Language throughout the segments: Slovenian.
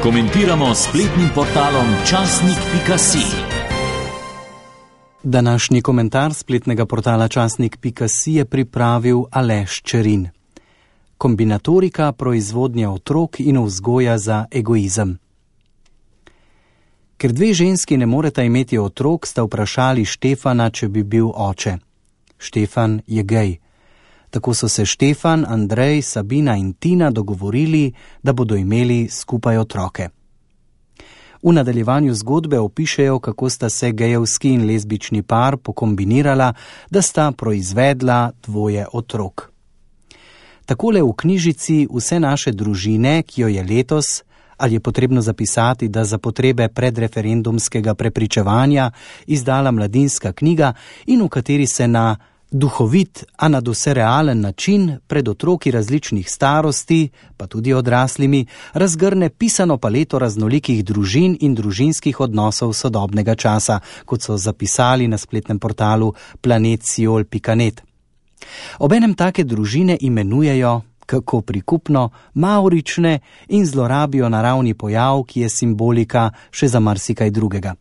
Komentiramo s spletnim portalom časnik.si. Današnji komentar spletnega portala časnik.si je pripravil Aleš Čerin. Kombinatorika proizvodnje otrok in vzgoja za egoizem. Ker dve ženski ne moreta imeti otrok, sta vprašali Štefana, če bi bil oče. Štefan je gej. Tako so se Štefan, Andrej, Sabina in Tina dogovorili, da bodo imeli skupaj otroke. V nadaljevanju zgodbe opišejo, kako sta se gejevski in lezbični par pokombinirala, da sta proizvedla dvoje otrok. Takole v knjižici Vse naše družine, ki jo je letos, ali je potrebno zapisati, da za potrebe predreferendumskega prepričevanja izdala Mladinska knjiga in v kateri se na duhovit, a nadvse realen način pred otroki različnih starosti, pa tudi odraslimi, razgrne pisano paleto raznolikih družin in družinskih odnosov sodobnega časa, kot so zapisali na spletnem portalu planetSiol.net. Obenem take družine imenujejo, kako prikupno, mavrične in zlorabijo naravni pojav, ki je simbolika še za marsikaj drugega.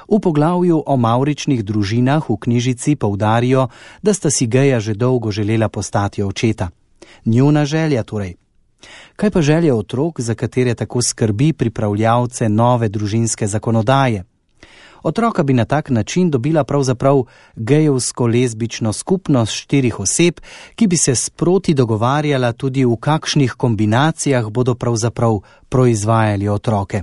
V poglavju o mavričnih družinah v knjižici poudarijo, da sta si geja že dolgo želela postati očeta. Njuna želja torej. Kaj pa želje otrok, za katere tako skrbi pripravljavce nove družinske zakonodaje? Otroka bi na tak način dobila pravzaprav gejevsko-lezbično skupnost 4 oseb, ki bi se sproti dogovarjala tudi v kakšnih kombinacijah bodo pravzaprav proizvajali otroke.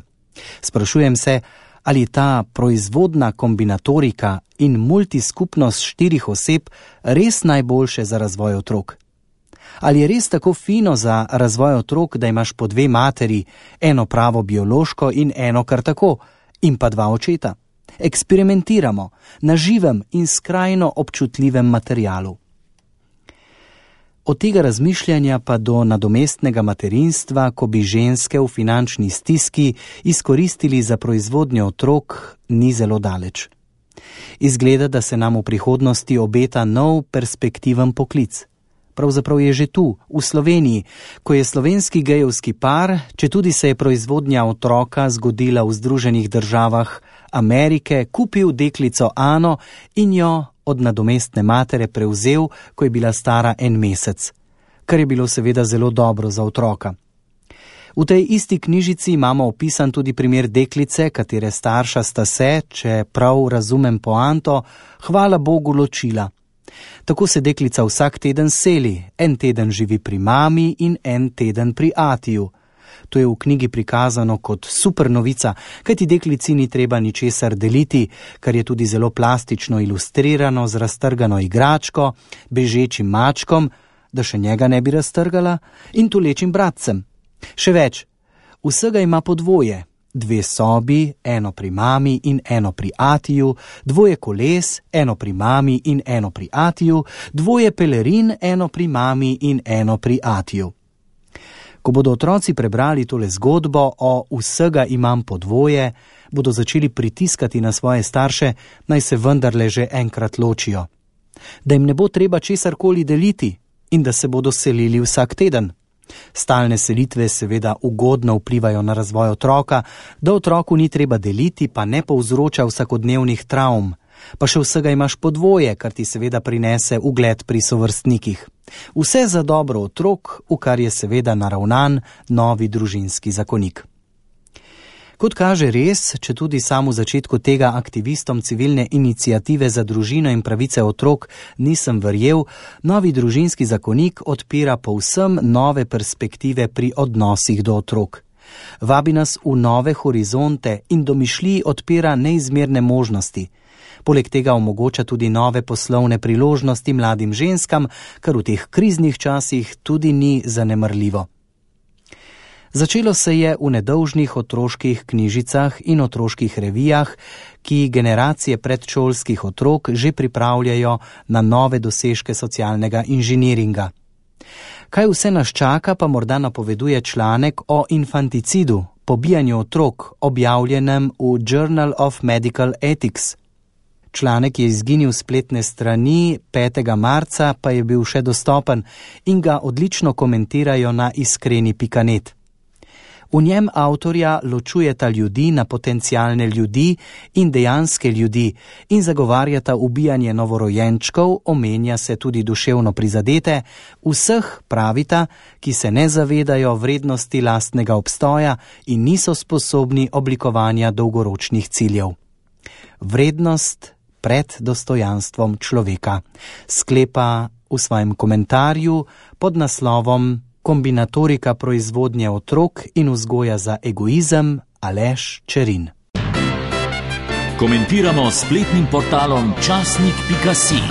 Sprašujem se, ali ta proizvodna kombinatorika in multiskupnost 4 oseb res najboljše za razvoj otrok? Ali je res tako fino za razvoj otrok, da imaš po 2 materi, eno pravo biološko in eno kar tako, in pa 2 očeta? Eksperimentiramo na živem in skrajno občutljivem materialu. Od tega razmišljanja pa do nadomestnega materinstva, ko bi ženske v finančni stiski izkoristili za proizvodnjo otrok, ni zelo daleč. Izgleda, da se nam v prihodnosti obeta nov perspektiven poklic. Pravzaprav je že tu, v Sloveniji, ko je slovenski gejevski par, četudi se je proizvodnja otroka zgodila v Združenih državah Amerike, kupil deklico Ano in jo od nadomestne matere prevzel, ko je bila stara 1 mesec, kar je bilo seveda zelo dobro za otroka. V tej isti knjižici imamo opisan tudi primer deklice, katere starša sta se, če prav razumem poanto, hvala Bogu ločila. Tako se deklica vsak teden seli, 1 teden živi pri mami in 1 teden pri atiju. To je v knjigi prikazano kot super novica, kajti deklici ni treba ničesar deliti, kar je tudi zelo plastično ilustrirano z raztrgano igračko, bežečim mačkom, da še njega ne bi raztrgala, in tulečim bratcem. Še več, vsega ima po 2, 2 sobi, 1 pri mami in 1 pri atiju, 2 koles, 1 pri mami in 1 pri atiju, 2 pelerin, 1 pri mami in 1 pri atiju. Ko bodo otroci prebrali tole zgodbo o vsega imam po 2, bodo začeli pritiskati na svoje starše, naj se vendarle že enkrat ločijo. Da jim ne bo treba česarkoli deliti in da se bodo selili vsak teden. Stalne selitve seveda ugodno vplivajo na razvoj otroka, da otroku ni treba deliti, pa ne povzroča vsakodnevnih travm. Pa še vsega imaš po 2, kar ti seveda prinese ugled pri sovrstnikih. Vse za dobro otrok, v kar je seveda naravnan novi družinski zakonik. Kot kaže res, če tudi sam v začetku tega aktivistom civilne iniciative za družino in pravice otrok nisem verjel, novi družinski zakonik odpira povsem nove perspektive pri odnosih do otrok. Vabi nas v nove horizonte in domišljiji odpira neizmerne možnosti. Poleg tega omogoča tudi nove poslovne priložnosti mladim ženskam, kar v teh kriznih časih tudi ni zanemarljivo. Začelo se je v nedolžnih otroških knjižicah in otroških revijah, ki generacije predšolskih otrok že pripravljajo na nove dosežke socialnega inženiringa. Kaj vse nas čaka, pa morda napoveduje članek o infanticidu, pobijanju otrok, objavljenem v Journal of Medical Ethics. Članek je izginil s spletne strani, 5. marca pa je bil še dostopen in ga odlično komentirajo na iskreni.net. V njem avtorja ločujeta ljudi na potencialne ljudi in dejanske ljudi in zagovarjata ubijanje novorojenčkov, omenja se tudi duševno prizadete, vseh, pravita, ki se ne zavedajo vrednosti lastnega obstoja in niso sposobni oblikovanja dolgoročnih ciljev. Vrednost pred dostojanstvom človeka, sklepa v svojem komentarju pod naslovom Kombinatorika proizvodnje otrok in vzgoja za egoizem Aleš Čerin. Komentiramo s spletnim portalom časnik.si.